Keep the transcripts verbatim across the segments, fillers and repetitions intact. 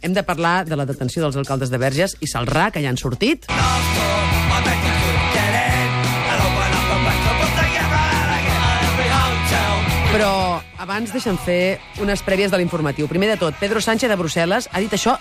hem de parlar de la detenció dels alcaldes de Verges i Celrà, que ja han sortit. Però abans deixa'm fer unes prèvies de l'informatiu. Primer de tot, Pedro Sánchez de Brussel·les ha dit això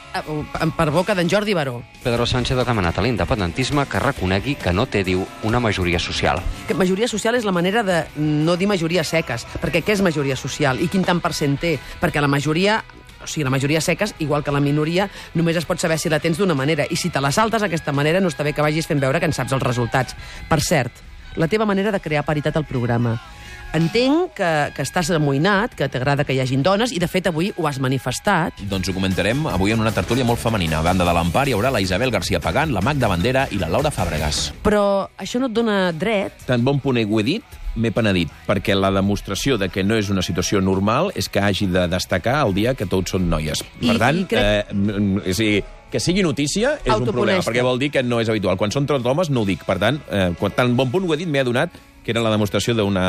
per boca d'en Jordi Baró. Pedro Sánchez ha demanat a l'independentisme que reconegui que no té, diu, una majoria social. Que majoria social és la manera de no dir majories seques, perquè què és majoria social i quin tant per cent té? Perquè la majoria... O sigui, la majoria seques, igual que la minoria, només es pot saber si la tens d'una manera. I si te la saltes d'aquesta manera, no està bé que vagis fent veure que en saps els resultats. Per cert, la teva manera de crear paritat al programa. Entenc que, que estàs amoïnat, que t'agrada que hi hagin dones, i de fet avui ho has manifestat. Doncs ho comentarem avui en una tertúlia molt femenina. A banda de l'Empar hi haurà la Isabel García Pagán, la Magda Bandera i la Laura Fàbregas. Però això no et dona dret... Tan bon punt ho he dit, m'he penedit, perquè la demostració de que no és una situació normal és que hagi de destacar el dia que tots són noies. I, per tant, crec... eh, és a dir, que sigui notícia és un problema, perquè vol dir que no és habitual. Quan són tots homes no ho dic. Per tant, eh, quan tan bon punt ho he dit, m'he adonat que era la demostració d'una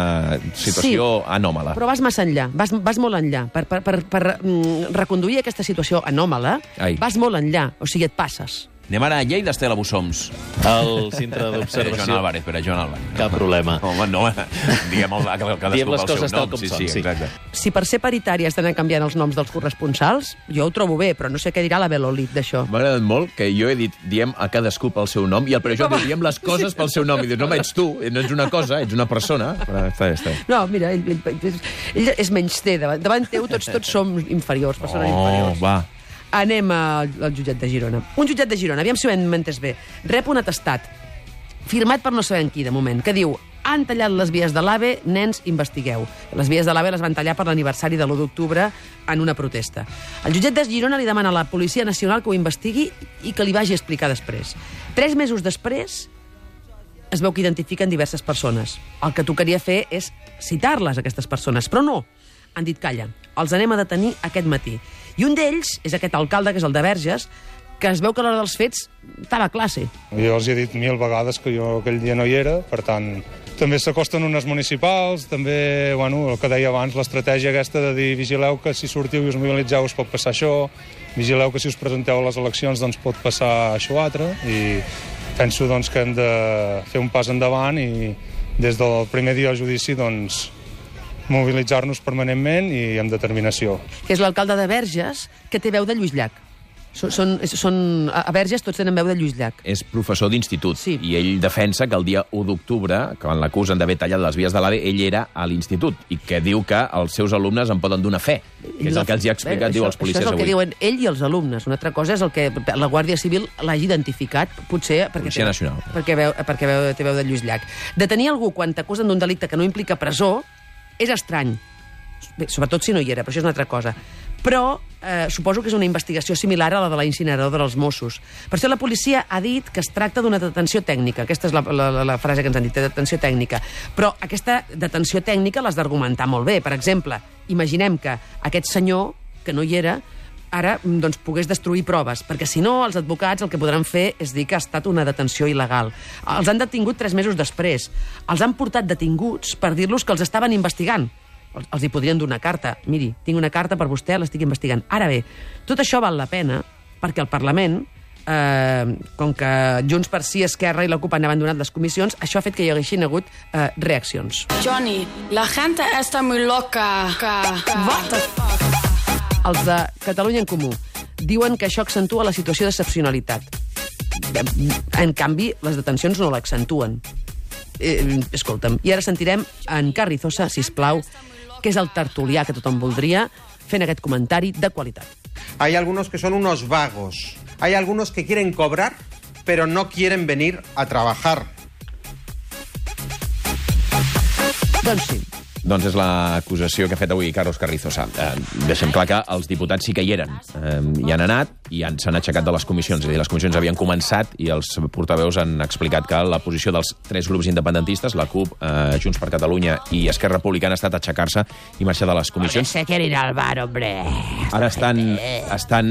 situació sí, anòmala. Però vas massa enllà, vas, vas molt enllà. Per, per, per, per mm, reconduir aquesta situació anòmala, Ai. vas molt enllà, o sigui, et passes. Anem ara a Lleida, Estela Bussoms. El centre d'observació... Joan Álvarez, espera, Joan Álvarez. Cap problema. Home, no, diguem el, cadascú Diem les pel seu coses tal nom. com Sí, són, sí, sí. exacte. Si per ser paritari has d'anar canviant els noms dels corresponsals, jo ho trobo bé, però no sé què dirà la Belolit d'això. M'ha agradat molt que jo he dit, diem a cadascú pel seu nom, i el Pere Joan diu, diem les coses pel seu nom. I dius, no, ets tu, no ets una cosa, ets una persona. Però està bé, està bé. No, mira, ell, ell, ell és menys té. Davant, davant teu tots, tots som inferiors, persones Oh, inferiors. va. Anem al, al jutjat de Girona. Un jutjat de Girona, aviam si ho hem entès bé. Rep un atestat, firmat per no sabem qui, de moment, que diu: han tallat les vies de l'AVE, nens, investigueu. Les vies de l'AVE les van tallar per l'aniversari de l'u d'octubre en una protesta. El jutjat de Girona li demana a la Policia Nacional que ho investigui i que li vagi a explicar després. Tres mesos després es veu que identifiquen diverses persones. El que tocaria fer és citar-les, aquestes persones, però no. Han dit, calla, els anem a detenir aquest matí. I un d'ells és aquest alcalde, que és el de Verges, que es veu que a l'hora dels fets estava a classe. Jo els he dit mil vegades que jo aquell dia no hi era, per tant, també s'acosten unes municipals, també, bueno, el que deia abans, l'estratègia aquesta de dir vigileu que si sortiu i us mobilitzeu us pot passar això, vigileu que si us presenteu a les eleccions doncs pot passar això altre, i penso doncs, que hem de fer un pas endavant i des del primer dia del judici doncs, mobilitzar-nos permanentment i amb determinació. Que és l'alcalde de Verges, que té veu de Lluís Llach. Són, són, són, a Verges tots tenen veu de Lluís Llach. És professor d'institut, sí. I ell defensa que el dia u d'octubre, quan l'acusen d'haver tallat les vies de l'AVE, ell era a l'institut, i que diu que els seus alumnes en poden donar fe, que és el que els hi ha explicat, Bé, diu això, els policies avui. Això és el que avui. diuen ell i els alumnes. Una altra cosa és el que la Guàrdia Civil l'hagi identificat, potser perquè, Policia té, Nacional. perquè, veu, perquè veu, té veu de Lluís Llach. Detenir algú quan t'acusen d'un delicte que no implica presó és estrany. Bé, sobretot si no hi era, però això és una altra cosa. Però eh, suposo que és una investigació similar a la de la incineradora dels Mossos. Per això la policia ha dit que es tracta d'una detenció tècnica. Aquesta és la, la, la frase que ens han dit, detenció tècnica. Però aquesta detenció tècnica l'has d'argumentar molt bé. Per exemple, imaginem que aquest senyor, que no hi era, ara doncs, pogués destruir proves, perquè si no, els advocats el que podran fer és dir que ha estat una detenció il·legal. Els han detingut tres mesos després. Els han portat detinguts per dir-los que els estaven investigant. Els, els hi podrien donar carta. Miri, tinc una carta per vostè, l'estic investigant. Ara bé, tot això val la pena perquè el Parlament, eh, com que Junts per Sí, Esquerra i la CUP han abandonat les comissions, això ha fet que hi haguessin hagut eh, reaccions. Johnny, la gente está muy loca. What the fuck? Els de Catalunya en Comú diuen que això accentua la situació d'excepcionalitat. En canvi, les detencions no l'accentuen. Eh, escolta'm, i ara sentirem en Carrizosa, sisplau, que és el tertulià que tothom voldria, fent aquest comentari de qualitat. Hay algunos que son unos vagos. Hay algunos que quieren cobrar, pero no quieren venir a trabajar. Doncs sí. Doncs és l'acusació que ha fet avui Carlos Carrizosa. Eh, deixem clar que els diputats sí que hi eren. Eh, hi han anat i s'han aixecat de les comissions. És a dir, les comissions havien començat i els portaveus han explicat que la posició dels tres grups independentistes, la CUP, eh, Junts per Catalunya i Esquerra Republicana, ha estat aixecar-se i marxar de les comissions. Se quiere ir al bar, hombre. Ara estan, estan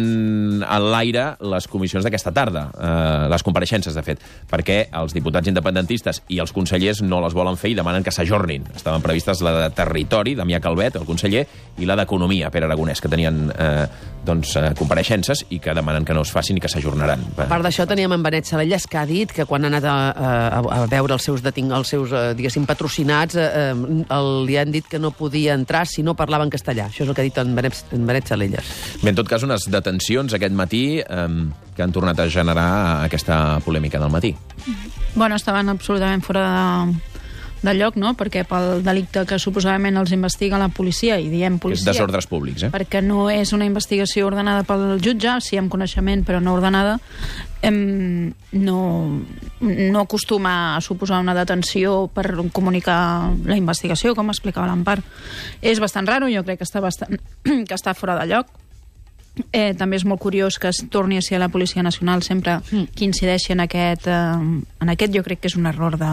en l'aire les comissions d'aquesta tarda, eh, les compareixences, de fet, perquè els diputats independentistes i els consellers no les volen fer i demanen que s'ajornin. Estaven previstes la de Territori, Damià Calvet, el conseller, i la d'Economia, Pere Aragonès, que tenien eh, doncs, eh, compareixences i que que demanen que no es facin i que s'ajornaran. A part d'això, teníem en Benet Salellas, que ha dit que quan ha anat a, a, a veure els seus, deting, els seus diguéssim, patrocinats, eh, el, li han dit que no podia entrar si no parlava en castellà. Això és el que ha dit en Benet, en Benet Salellas. Bé, en tot cas, unes detencions aquest matí eh, que han tornat a generar aquesta polèmica del matí. Bueno, estaven absolutament fora de, de lloc, no?, perquè pel delicte que suposadament els investiga la policia, i diem policia... Desordres públics, eh? Perquè no és una investigació ordenada pel jutge, sí amb coneixement, però no ordenada, em, no, no acostuma a suposar una detenció per comunicar la investigació, com explicava l'Empar. És bastant raro, jo crec que està, bastant, que està fora de lloc. Eh, també és molt curiós que es torni a ser la Policia Nacional sempre mm. que incideixi en aquest, eh, en aquest, jo crec que és un error de,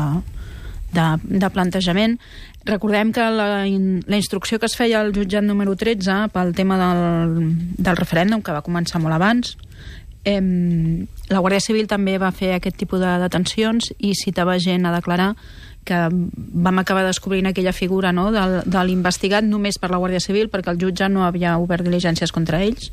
de, de plantejament. Recordem que la, la instrucció que es feia al jutjat número tretze pel tema del, del referèndum, que va començar molt abans, eh, la Guàrdia Civil també va fer aquest tipus de detencions i citava gent a declarar, que vam acabar descobrint aquella figura, no?, de, de l'investigat només per la Guàrdia Civil, perquè el jutge no havia obert diligències contra ells,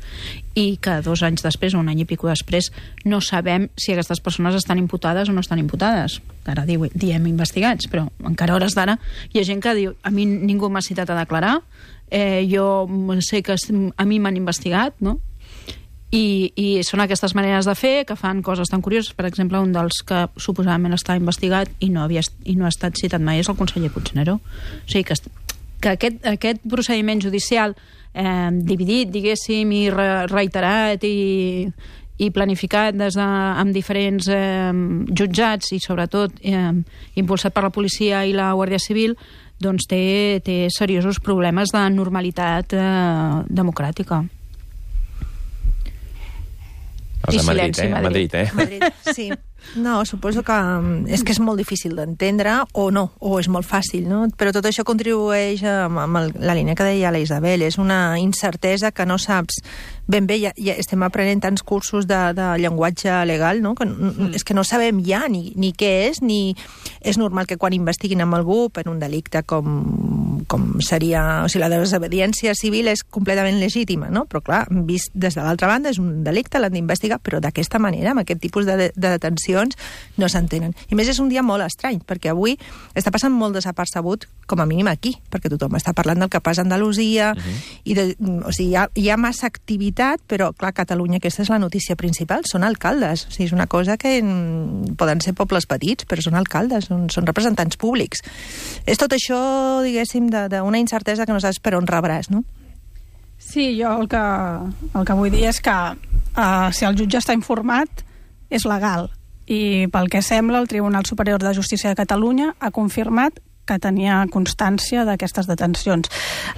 i que dos anys després, o un any i pico després, no sabem si aquestes persones estan imputades o no estan imputades. Ara diu, diem investigats, però encara a hores d'ara hi ha gent que diu, a mi ningú m'ha citat a declarar, eh, jo sé que a mi m'han investigat, no?, I, i són aquestes maneres de fer que fan coses tan curioses. Per exemple, un dels que suposadament està investigat i no, havia, i no ha estat citat mai és el conseller Puigneró. O sigui, que, que aquest, aquest procediment judicial eh, dividit, diguéssim, i re, reiterat i, i planificat des de, amb diferents eh, jutjats i sobretot eh, impulsat per la policia i la Guàrdia Civil, doncs té, té seriosos problemes de normalitat eh, democràtica. Els de Madrid, eh? Madrid, eh? Madrid, sí. No, suposo que és que és molt difícil d'entendre, o no, o és molt fàcil, no? Però tot això contribueix amb, amb el, la línia que deia la Isabel. És una incertesa que no saps ben bé. Ja, ja estem aprenent tants cursos de, de llenguatge legal, no?, que mm. és que no sabem ja ni, ni què és, ni és normal que quan investiguin amb algú per un delicte com, com seria... O sigui, la desobediència civil és completament legítima, no? Però, clar, vist des de l'altra banda, és un delicte, l'han d'investigar, però d'aquesta manera, amb aquest tipus de, de detenció, no s'entenen. I més és un dia molt estrany, perquè avui està passant molt desapercebut, com a mínim aquí, perquè tothom està parlant del que passa a Andalusia, uh-huh. i de, o sigui, hi ha, hi ha massa activitat, però, clar, Catalunya, aquesta és la notícia principal, són alcaldes. O sigui, és una cosa que mm, poden ser pobles petits, però són alcaldes, són, són representants públics. És tot això, diguéssim, d'una incertesa que no saps per on rebràs, no? Sí, jo el que, el que vull dir és que uh, si el jutge està informat, és legal. I pel que sembla, el Tribunal Superior de Justícia de Catalunya ha confirmat que tenia constància d'aquestes detencions.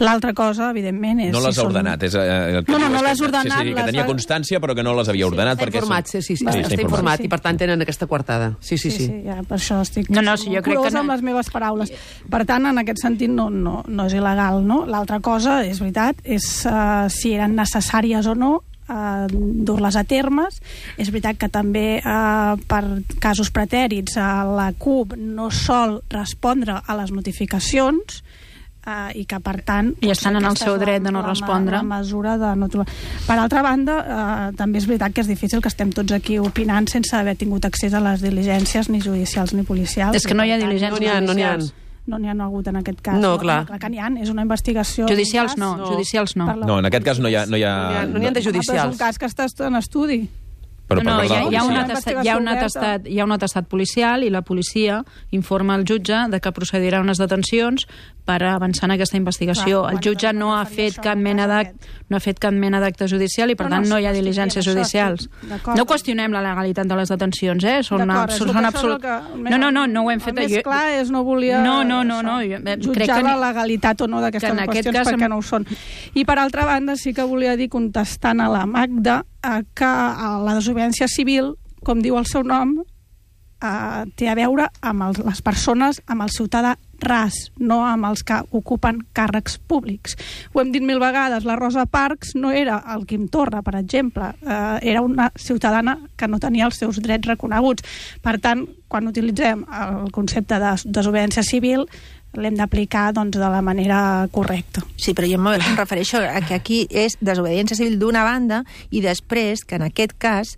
L'altra cosa, evidentment, és... No les si ha ordenat. És, eh, no, no, no les ha ordenat. Sí, sí, que tenia constància, però que no les havia ordenat. Està perquè informat, són... sí, sí, sí, sí, està, està informat, sí. I per tant tenen aquesta coartada. Sí, sí, sí. sí, sí ja, per això estic no, no, sí, jo crec que no... amb les meves paraules. Per tant, en aquest sentit, no, no, no és il·legal, no? L'altra cosa, és veritat, és uh, si eren necessàries o no Uh, dur-les a termes. És veritat que també uh, per casos pretèrits uh, la CUP no sol respondre a les notificacions uh, i que per tant i estan en el seu dret de no la, respondre la mesura de no trobar. Per altra banda, uh, també és veritat que és difícil que estem tots aquí opinant sense haver tingut accés a les diligències ni judicials ni policials. És que no hi ha diligències no n'hi ha, no n'hi ha. No n'hi ha hagut en aquest cas. No, clar. Clar que n'hi ha, és una investigació... Judicials no, no. judicials no. No, en aquest cas no hi ha... No hi ha, no n'hi ha de judicials. Ah, és un cas que està en estudi. Però no, no, hi ha, hi, ha un policia. atestat, hi, ha un atestat, hi ha un atestat policial i la policia informa al jutge de que procedirà a unes detencions per avançar en aquesta investigació. Clar, el jutge no ha fet cap mena d'acte no ha fet cap mena d'acte judicial i per no, tant no hi ha diligències judicials. No qüestionem la legalitat de les detencions, eh? Són, són, són absolut... que, no, no, no, no ho hem fet. El més clar és no volia no, no, no, no, jo, jutjar crec que la legalitat o no d'aquestes qüestions cas... perquè no ho són. I per altra banda sí que volia dir, contestant a la Magda, que la desobediència civil, com diu el seu nom, eh, té a veure amb el, les persones, amb el ciutadà ras, no amb els que ocupen càrrecs públics. Ho hem dit mil vegades, la Rosa Parks no era el Quim Torra, per exemple, eh, era una ciutadana que no tenia els seus drets reconeguts. Per tant, quan utilitzem el concepte de desobediència civil, l'hem d'aplicar doncs, de la manera correcta. Sí, però jo em refereixo a que aquí és desobediència civil d'una banda i després que en aquest cas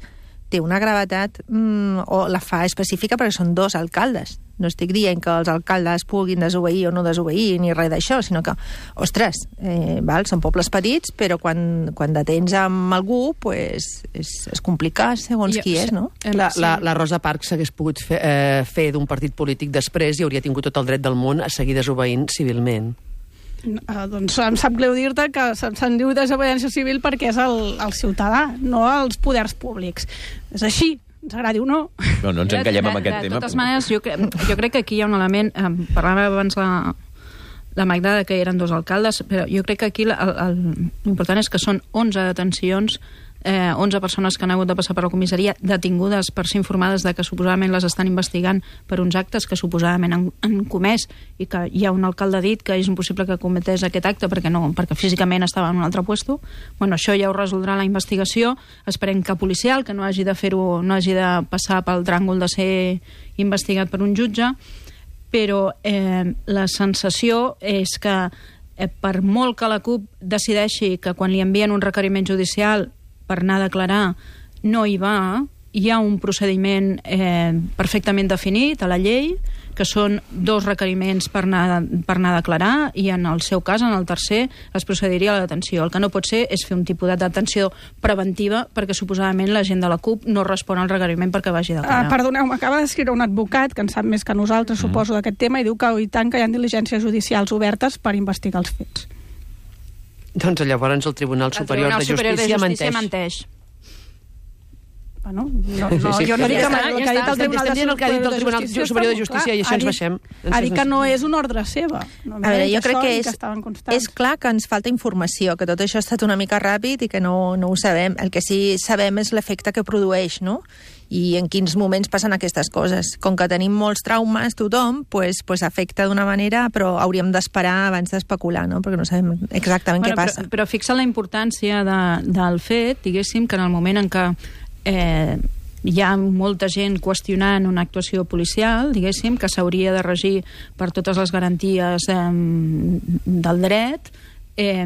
té una gravetat mmm, o la fa específica perquè són dos alcaldes. No estic dient que els alcaldes puguin desobeir o no desobeir ni res d'això, sinó que, ostres, eh, val, són pobles petits, però quan, quan detens amb algú pues, és, és complicat segons jo, qui és, no? La, la, la Rosa Parks s'hagués pogut fer, eh, fer d'un partit polític després i hauria tingut tot el dret del món a seguir desobeint civilment. Uh, doncs em sap greu dir-te que se'n se diu desobediència civil perquè és el, el ciutadà, no els poders públics. És així, ens agradi o no. No, no ens encallem amb aquest de, de, tema. De totes maneres, jo, cre jo crec que aquí hi ha un element... Eh, parlava abans la, la Magda que eren dos alcaldes, però jo crec que aquí l'important és que són onze detencions, eh, onze persones que han hagut de passar per la comissaria detingudes per ser informades de que suposadament les estan investigant per uns actes que suposadament han, han comès i que hi ha un alcalde dit que és impossible que cometés aquest acte perquè, no, perquè físicament estava en un altre puesto. Bueno, això ja ho resoldrà la investigació. Esperem que policial, que no hagi de fer-ho, no hagi de passar pel tràngol de ser investigat per un jutge, però eh, la sensació és que eh, per molt que la CUP decideixi que quan li envien un requeriment judicial per anar a declarar no hi va, hi ha un procediment eh, perfectament definit a la llei, que són dos requeriments per anar, per anar a declarar, i en el seu cas, en el tercer, es procediria a la detenció. El que no pot ser és fer un tipus de detenció preventiva perquè suposadament la gent de la CUP no respon al requeriment perquè vagi a declarar. Uh, perdoneu, m'acaba d'escriure un advocat que en sap més que nosaltres, mm. suposo, d'aquest tema, i diu que i tant que hi ha diligències judicials obertes per investigar els fets. Doncs llavors el Tribunal Superior, el Tribunal de, Justícia Superior de Justícia menteix. menteix. Bueno, no, no, sí, sí. jo no dic que, ja el que ha dit el Tribunal, estem dient el que ha dit el Tribunal Superior de Justícia i això ens baixem. Ha dit que no és una ordre seva. No, a veure, jo crec que és, que és clar que ens falta informació, que tot això ha estat una mica ràpid i que no, no ho sabem. El que sí sabem és l'efecte que produeix, no? I en quins moments passen aquestes coses. Com que tenim molts traumes, tothom, pues, pues afecta d'una manera, però hauríem d'esperar abans d'especular, no? Perquè no sabem exactament bueno, què passa. Però, però fixa la importància de, del fet, diguéssim, que en el moment en què eh, hi ha molta gent qüestionant una actuació policial, diguéssim, que s'hauria de regir per totes les garanties eh, del dret, eh,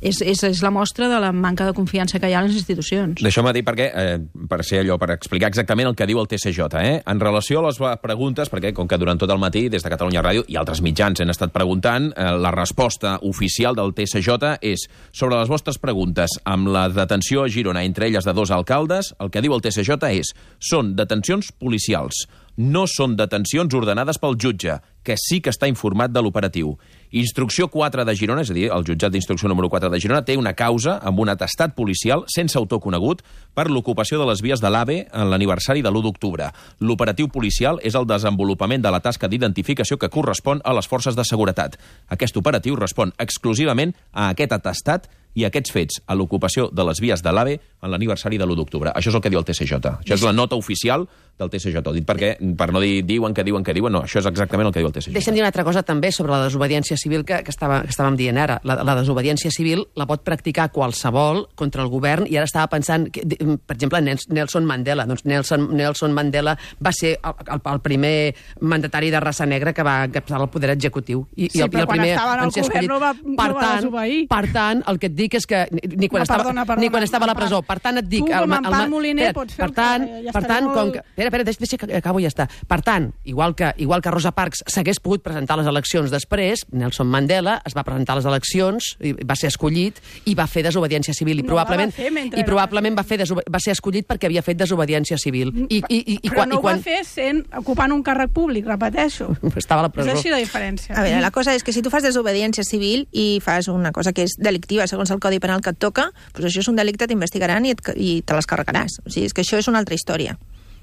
és, és, és la mostra de la manca de confiança que hi ha en les institucions. Deixeu-me dir perquè, eh, per ser allò, per explicar exactament el que diu el T S J, eh? En relació a les preguntes, perquè com que durant tot el matí des de Catalunya Ràdio i altres mitjans han estat preguntant, eh, la resposta oficial del T S J és sobre les vostres preguntes amb la detenció a Girona, entre elles de dos alcaldes, el que diu el T S J és són detencions policials, no són detencions ordenades pel jutge, que sí que està informat de l'operatiu. Instrucció quatre de Girona, és a dir, el jutjat d'instrucció número quatre de Girona, té una causa amb un atestat policial sense autor conegut per l'ocupació de les vies de l'AVE en l'aniversari de l'u d'octubre. L'operatiu policial és el desenvolupament de la tasca d'identificació que correspon a les forces de seguretat. Aquest operatiu respon exclusivament a aquest atestat i aquests fets a l'ocupació de les vies de l'AVE en l'aniversari de l'u d'octubre. Això és el que diu el T S J. Això és la nota oficial del T S J. Dit perquè, per no dir diuen que diuen que diuen, no, això és exactament el que diu el T S J. Deixa'm dir una altra cosa també sobre la desobediència civil que, que, estava, que estàvem dient ara. La, la desobediència civil la pot practicar qualsevol contra el govern i ara estava pensant, que, per exemple, Nelson Mandela. Doncs Nelson, Nelson Mandela va ser el, el, el primer mandatari de raça negra que va captar el poder executiu. I, sí, i el, però i el quan primer estava en el govern no va, no per va tant, desobeir. Per tant, el que et dic és que ni quan, no, estava, perdona, perdona, ni quan estava a la presó. Per tant, et dic... Tu, com el, en el, Pal Moliner, espera, pots fer per tant, el que... Ja per tant, molt... com que... Espera, espera, deixa, deixa que acabo i ja està. Per tant, igual que, igual que Rosa Parks s'hagués pogut presentar a les eleccions després, Nelson Mandela es va presentar a les eleccions, i va ser escollit i va fer desobediència civil. I no probablement, i probablement va, fer va ser escollit perquè havia fet desobediència civil. I, i, i, i, Però quan, no i quan... ho va fer sent, ocupant un càrrec públic, repeteixo. Estava a la presó. És així la diferència. A veure, la cosa és que si tu fas desobediència civil i fas una cosa que és delictiva segons el Codi Penal que et toca, doncs això és un delicte, t'investigaran i, et, i te les carregaràs. O sigui, és que això és una altra història.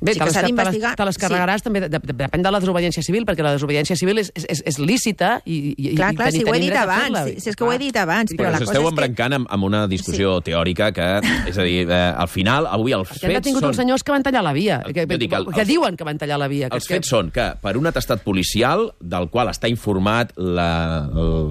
Bé, sí, te, les, te, les, te les carregaràs sí. també, de, de, depèn de la desobediència civil, perquè la desobediència civil és, és, és lícita i, i, clar, i clar, tenir, si ho he dit dret abans, a si, si és que ho he dit abans, però, però la cosa esteu és embrancant que... amb, amb una discussió sí. teòrica que, és a dir, eh, al final, avui els perquè fets han detingut són... uns senyors que van tallar la via, que, dic, el, que els, diuen que van tallar la via. Que els que... fets són que, per un atestat policial, del qual està informat la, el,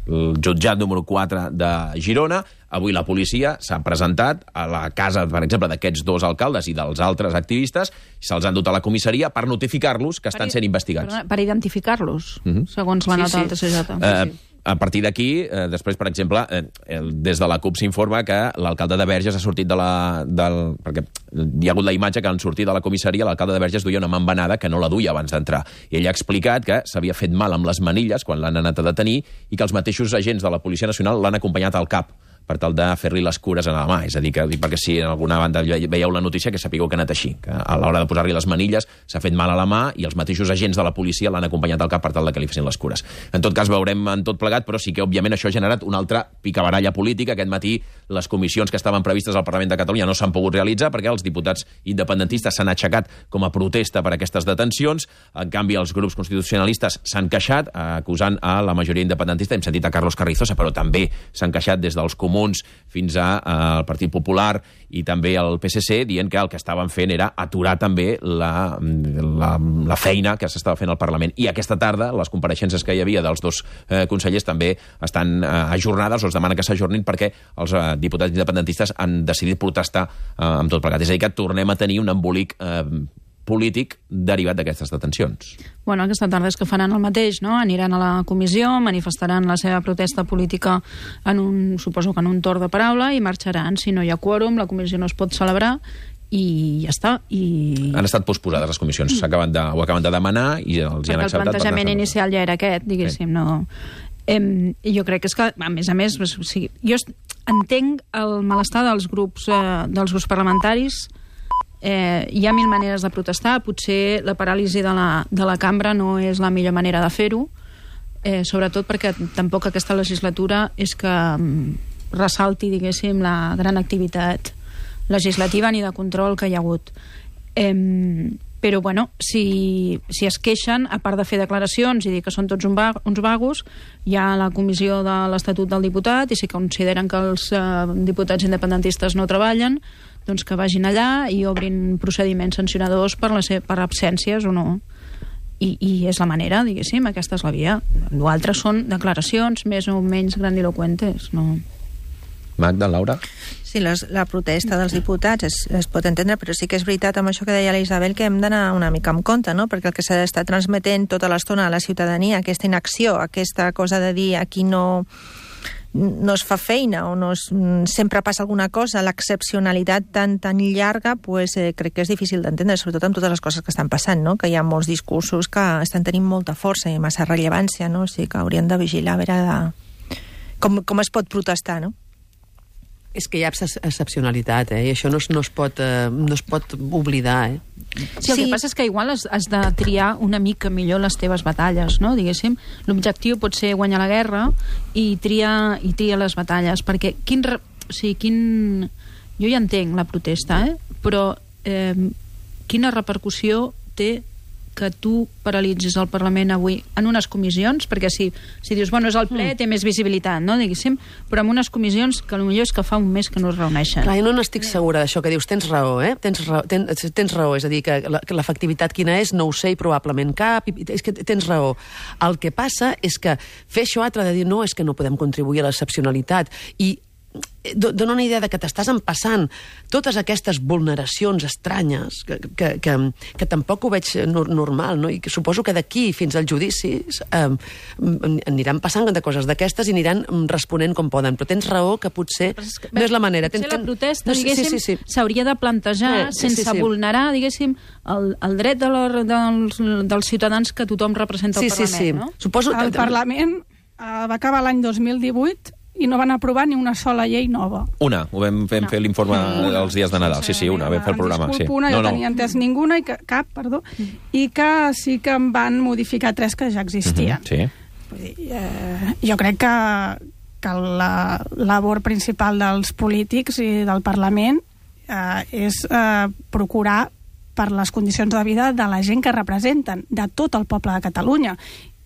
el jutjat número quatre de Girona. Avui la policia s'ha presentat a la casa, per exemple, d'aquests dos alcaldes i dels altres activistes, i se'ls han dut a la comissaria per notificar-los que estan sent investigats. Perdona, per identificar-los, Mhm. segons la Sí, nota sí. del T C J. Eh, a partir d'aquí, eh, després, per exemple, eh, el, des de la CUP s'informa que l'alcalde de Verges ha sortit de la... Del, perquè hi ha hagut la imatge que en sortir de la comissaria l'alcalde de Verges duia una mambanada que no la duia abans d'entrar. I ell ha explicat que s'havia fet mal amb les manilles quan l'han anat a detenir i que els mateixos agents de la Policia Nacional l'han acompanyat al cap per tal de fer-li les cures a la mà. És a dir, que, perquè si en alguna banda veieu la notícia, que sapigueu que ha anat així, que a l'hora de posar-li les manilles s'ha fet mal a la mà i els mateixos agents de la policia l'han acompanyat al cap per tal de que li fessin les cures. En tot cas, veurem en tot plegat, però sí que, òbviament, això ha generat una altra picabaralla política. Aquest matí les comissions que estaven previstes al Parlament de Catalunya no s'han pogut realitzar perquè els diputats independentistes s'han aixecat com a protesta per aquestes detencions. En canvi, els grups constitucionalistes s'han queixat, acusant a la majoria independentista. Hem sentit a Carlos Carrizosa, però també s'han queixat des dels comuns fins al Partit Popular i també al P S C, dient que el que estaven fent era aturar també la, la, la feina que s'estava fent al Parlament. I aquesta tarda, les compareixences que hi havia dels dos eh, consellers també estan eh, ajornades, o es demana que s'ajornin perquè els eh, diputats independentistes han decidit protestar eh, amb tot plegat. És a dir, que tornem a tenir un embolic eh, polític derivat d'aquestes detencions. Bueno, aquesta tarda és que faran el mateix, no? Aniran a la comissió, manifestaran la seva protesta política en un, suposo que en un torn de paraula, i marxaran. Si no hi ha quòrum, la comissió no es pot celebrar i ja està. I... Han estat posposades les comissions, s'acaben de, ho acaben de demanar i els hi han acceptat. Perquè el plantejament inicial ja era aquest, diguéssim, sí. no... Em, jo crec que és que, a més a més, o sigui, jo entenc el malestar dels grups, eh, dels grups parlamentaris. Eh, hi ha mil maneres de protestar, potser la paràlisi de la, de la cambra no és la millor manera de fer-ho, eh, sobretot perquè tampoc aquesta legislatura és que um, ressalti, diguéssim, la gran activitat legislativa ni de control que hi ha hagut. Eh, però, bueno, si, si es queixen, a part de fer declaracions i dir que són tots un va, uns vagos, hi ha la comissió de l'Estatut del Diputat, i si consideren que els eh, diputats independentistes no treballen, doncs que vagin allà i obrin procediments sancionadors per, la per absències o no. I, I és la manera, diguéssim, aquesta és la via. L'altre són declaracions més o menys grandiloquentes, no? Magda, Laura? Sí, les, la protesta dels diputats es, es pot entendre, però sí que és veritat amb això que deia la Isabel, que hem d'anar una mica amb compte, no? Perquè el que s'ha d'estar transmetent tota l'estona a la ciutadania, aquesta inacció, aquesta cosa de dir aquí no... no es fa feina o no es, sempre passa alguna cosa, l'excepcionalitat tan, tan llarga, pues, eh, crec que és difícil d'entendre, sobretot amb totes les coses que estan passant, no? Que hi ha molts discursos que estan tenint molta força i massa rellevància, no? O sigui que haurien de vigilar a veure de... com, com es pot protestar, no? És que hi ha excepcionalitat, eh? I això no es, no es, pot, eh, no es pot oblidar, eh? Sí, el sí. que passa és que igual has, has de triar una mica millor les teves batalles, no? Diguéssim, l'objectiu pot ser guanyar la guerra i triar, i triar les batalles, perquè quin... Re... O sigui, quin... Jo ja entenc la protesta, eh? Però eh, quina repercussió té que tu paralitzis el Parlament avui en unes comissions, perquè si, si dius, bueno, és el ple, mm. té més visibilitat, no, diguéssim, però en unes comissions que potser és que fa un mes que no es reuneixen. Clar, jo no n'estic segura d'això que dius, tens raó, eh? Tens raó, tens, tens raó, és a dir, que l'efectivitat quina és, no ho sé, i probablement cap, i, és que tens raó. El que passa és que fer això altre de dir, no, és que no podem contribuir a l'excepcionalitat, i dona una idea de que t'estàs empassant totes aquestes vulneracions estranyes que, que, que, que tampoc ho veig normal, no? I que suposo que d'aquí fins als judicis eh, aniran passant de coses d'aquestes i aniran responent com poden, però tens raó que potser que, no és la manera. Potser ten, la protesta, no, diguéssim, sí, sí, sí. s'hauria de plantejar eh, sí, sense sí, sí. vulnerar, diguéssim, el, el dret de la, dels, dels ciutadans que tothom representa al sí, Parlament, sí, sí. no? Suposo... El Parlament uh, va acabar l'any dos mil divuit i no van aprovar ni una sola llei nova. Una, ho vam, vam no. fer l'informe els dies de Nadal. Sí, sí, una, vam fer el programa. Disculpo, sí. una, no, jo no. tenia entès ninguna, i que, cap, perdó, i que sí que en van modificar tres que ja existien. Uh-huh, sí. Vull dir, eh, jo crec que, que la labor principal dels polítics i del Parlament eh, és eh, procurar per les condicions de vida de la gent que representen, de tot el poble de Catalunya.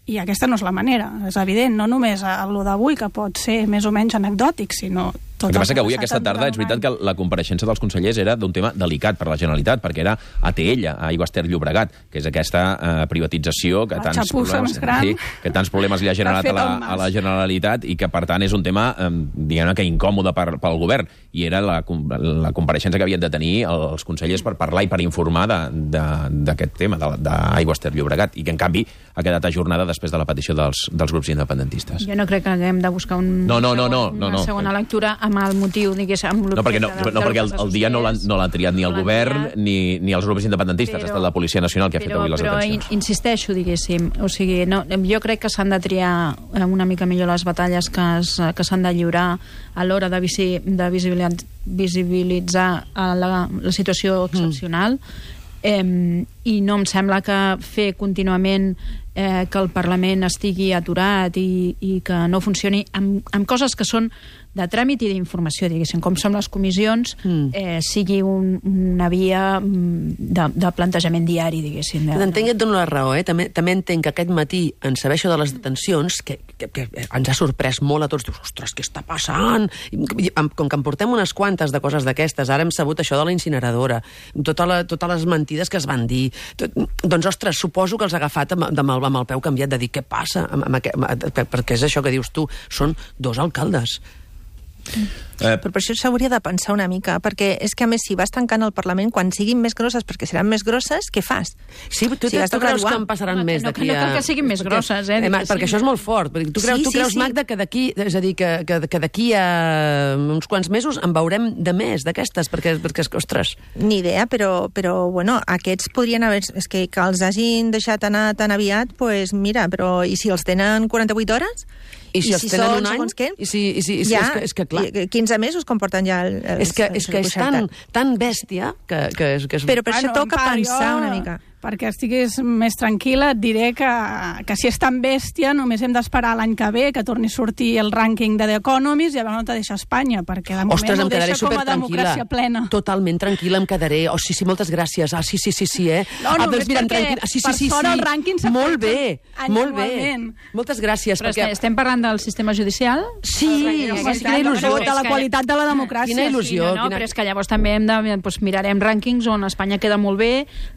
I aquesta no és la manera, és evident, no només a lo d'avui, que pot ser més o menys anecdòtic, sinó El que passa que avui, aquesta tarda, és veritat que la compareixença dels consellers era d'un tema delicat per la Generalitat, perquè era A T L, a Aigües Ter Llobregat, que és aquesta eh, privatització que La tants, problemes, sí, que tants problemes li ha generat a la, a la Generalitat i que, per tant, és un tema, eh, diguem-ne, que incòmode per, pel govern. I era la, la compareixença que havien de tenir els consellers per parlar i per informar d'aquest tema, d'Aigües Ter Llobregat, i que, en canvi, ha quedat ajornada després de la petició dels, dels grups independentistes. Jo no crec que haguem de buscar un no, no, no, no, segon, no, no. una segona lectura amb el motiu, diguéssim, amb no, perquè, no, de, no, perquè el, el dia no l'han no triat ni el govern ni, ni els grups independentistes, però, ha estat la Policia Nacional que ha però, fet avui les però detencions. Però insisteixo, diguéssim, o sigui, no, jo crec que s'han de triar una mica millor les batalles que, es, que s'han de lliurar a l'hora de, visi, de visibilitzar, visibilitzar la, la situació excepcional, mm. eh, i no em sembla que fer contínuament eh, que el Parlament estigui aturat i, i que no funcioni amb, amb coses que són de tràmit i d'informació, diguéssim, com són les comissions, mm. eh, sigui un, una via de, de plantejament diari, diguéssim. De... Entenc que et dono la raó, eh? També, també entenc que aquest matí, en saber això de les detencions, que, que, que ens ha sorprès molt a tots, dius, ostres, què està passant? I, com que en portem unes quantes de coses d'aquestes, ara hem sabut això de la incineradora, tota la, totes les mentides que es van dir, tot, doncs, ostres, suposo que els ha agafat amb, amb, el, amb el peu canviat de dir què passa, amb, amb, amb, perquè és això que dius tu, són dos alcaldes. Eh. Però per això s'hauria de pensar una mica, perquè és que, a més, si vas tancant el Parlament, quan siguin més grosses, perquè seran més grosses, què fas? Sí, tu, si tu, tu creus que en passaran no, més no, d'aquí a... No cal a... que siguin més grosses, eh? eh perquè això és molt fort. Tu creus, sí, tu creus sí, Magda, sí. que d'aquí, és a dir, que, que, que d'aquí a uns quants mesos en veurem de més d'aquestes, perquè, perquè, ostres... Ni idea, però, però bueno, aquests podrien haver... És que, que els hagin deixat anar tan aviat, doncs mira, però i si els tenen quaranta-vuit hores? I si, I si els tenen un any? I si, i si, i si, ja, és, que, és que, clar... quinze mesos comporten ja el... el és que és, que és tan, tan bèstia que, que, és, que és... Però per bueno, això toca pensar jo... una mica. Perquè estiguis més tranquil·la, et diré que, que si és tan bèstia només hem d'esperar l'any que ve que torni a sortir el rànquing de The Economist i a veure on te deixa Espanya, perquè de moment Ostres, ho deixa com a democràcia plena. Totalment tranquil·la em quedaré. Oh, sí, sí, moltes gràcies. Ah, sí, sí, sí, sí, eh? No, ah, només mira, perquè sí, sí, per sí, fora sí. el rànquing molt bé, molt bé. Moltes gràcies. Però perquè... estem parlant del sistema judicial? Sí, sí, quina il·lusió. De la qualitat de la democràcia. Quina il·lusió. Sí, no, no, quina... però és que llavors també hem de, doncs, mirarem rànquings on Espanya queda molt bé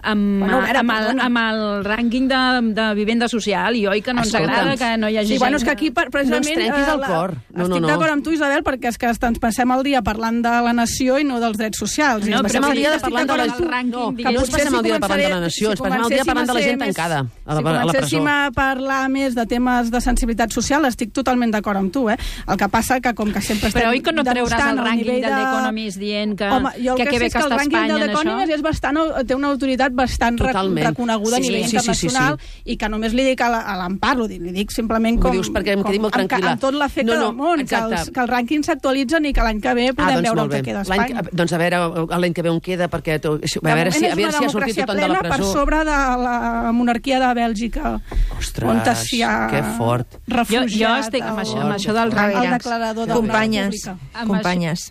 amb, bueno, veure, amb, el, amb el el rànquing de, de vivenda social, i oi que no ens agrada que no hi hagi sí, gent... Bueno, és que aquí, precisament... No ens trenquis el cor. No, estic no, no. d'acord amb tu, Isabel, perquè és que ens passem el dia parlant de la nació i no dels drets socials. No, passem el dia parlant de la... No, no ens passem el dia parlant de la nació, ens passem el dia parlant de la gent tancada a la, si a la presó. Si comencéssim a parlar més de temes de sensibilitat social, estic totalment d'acord amb tu, eh? El que passa que, com que sempre estem... Però oi que no treuràs el rànquing de l'Economist dient que, Home, que, que bé que està Espanya en això? És bastant, té una autoritat bastant reconeguda a nivell internacional, i que només li dic a l'Empar, li dic simplement com... Ho dius perquè em quedi molt tranquil·la. Amb tot l'efecte no, no, del món, que els, que els rànquings s'actualitzen i que l'any que ve podem ah, doncs veure on queda Espanya. Doncs a veure l'any que ve on queda, perquè a veure si, a veure si ha sortit tothom de la presó. Per sobre de la monarquia de Bèlgica. Ostres, on si ha que fort. Refugiat. Jo, jo estic amb això, amb això del rànquing. El declarador de Companyes, companyes.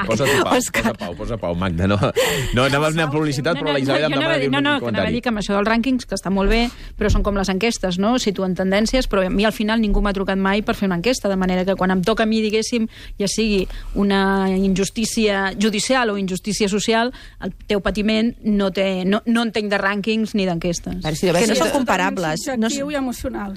Posa tu pau, posa pau, posa pau, Magda. No, no anaves a publicitat, però la Isabel em demana dir un comentari. No, no, anava a dir que amb això dels rànquings, que està molt bé, però són com les enquestes, no? Situen tendències, però a mi al final ningú m'ha trucat mai per fer una enquesta, de manera que quan em toca a mi, diguéssim, ja sigui una injustícia judicial o injustícia social, el teu patiment no té, no, no entenc de rànquings ni d'enquestes. Si que no són comparables. No, i emocionals.